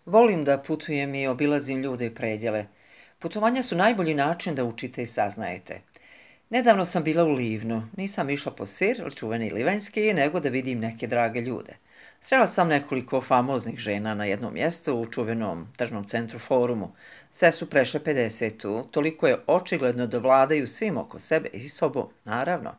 Volim da putujem i obilazim ljude i predjele. Putovanja su najbolji način da učite i saznajete. Nedavno sam bila u Livnu. Nisam išla po sir, čuveni livanjski, nego da vidim neke drage ljude. Srela sam nekoliko famoznih žena na jednom mjestu u čuvenom tržnom centru Forumu. Sve su prešle 50, toliko je očigledno da vladaju svim oko sebe i sobom, naravno.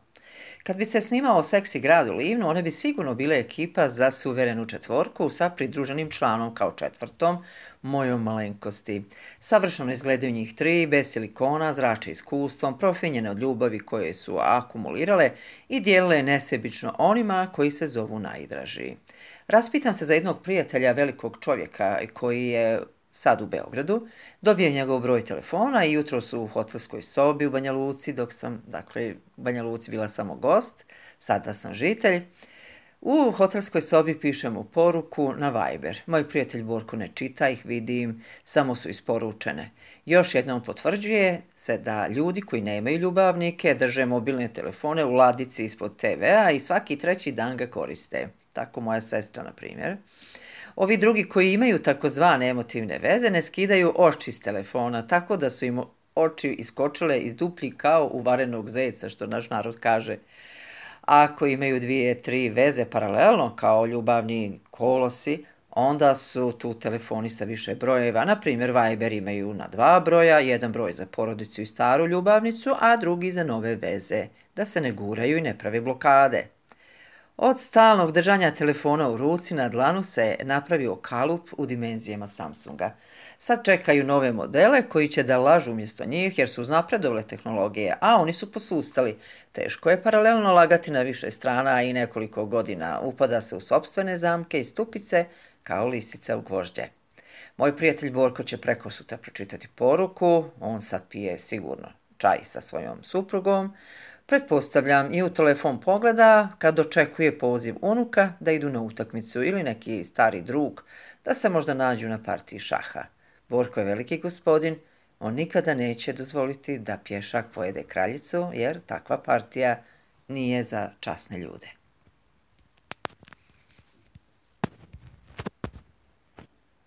Kad bi se snimao seksi grad u Livnu, one bi sigurno bile ekipa za suverenu četvorku sa pridruženim članom kao četvrtom, mojom malenkosti. Savršeno izgledaju njih tri, bez silikona, zrače iskustvom, profinjene od ljubavi koje su akumulirale i dijelile nesebično onima koji se zovu najdraži. Raspitam se za jednog prijatelja velikog čovjeka koji je sad u Beogradu, dobijem njegov broj telefona i jutro su u hotelskoj sobi u Banja Luci, dok sam, u Banja Luci bila samo gost, sada sam žitelj. U hotelskoj sobi pišem mu poruku na Viber. Moj prijatelj Borko ne čita ih, vidim, samo su isporučene. Još jednom potvrđuje se da ljudi koji nemaju ljubavnike drže mobilne telefone u ladici ispod TV-a i svaki treći dan ga koriste. Tako moja sestra, na primjer. Ovi drugi koji imaju takozvane emotivne veze ne skidaju oči s telefona, tako da su im oči iskočile iz duplji kao u varenog zeca, što naš narod kaže. Ako imaju 2-3 veze paralelno kao ljubavni kolosi, onda su tu telefoni sa više brojeva. Na primjer, Viber imaju na 2 broja, jedan broj za porodicu i staru ljubavnicu, a drugi za nove veze, da se ne guraju i ne prave blokade. Od stalnog držanja telefona u ruci na dlanu se napravio kalup u dimenzijama Samsunga. Sad čekaju nove modele koji će da lažu umjesto njih jer su uznapredovale tehnologije, a oni su posustali. Teško je paralelno lagati na više strana i nekoliko godina upada se u sopstvene zamke i stupice kao lisica u gvožđe. Moj prijatelj Borko će prekosutra pročitati poruku, on sad pije sigurno čaj sa svojom suprugom. Pretpostavljam i u telefon pogleda kad očekuje poziv unuka da idu na utakmicu ili neki stari drug da se možda nađu na partiji šaha. Borko je veliki gospodin, on nikada neće dozvoliti da pješak pojede kraljicu jer takva partija nije za časne ljude.